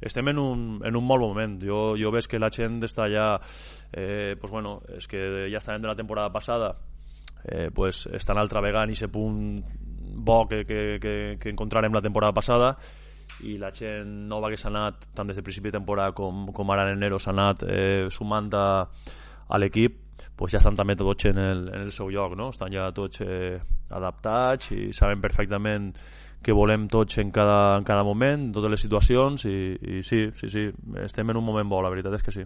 Estem en un molt moment. Jo veig que la gent està ja pues bueno, és que ja estàvem de la temporada passada, pues estan altra vegada en aquest punt bo que encontrarem la temporada passada, i la gent nova que s'ha anat tant des del principi de temporada com ara en enero s'ha anat sumant a l'equip, pues ja estan també tots en el seu lloc, no? Estan ja tots adaptats i saben perfectament que volem tots en cada moment, en totes les situacions, i sí, estem en un moment bo, la veritat és que sí.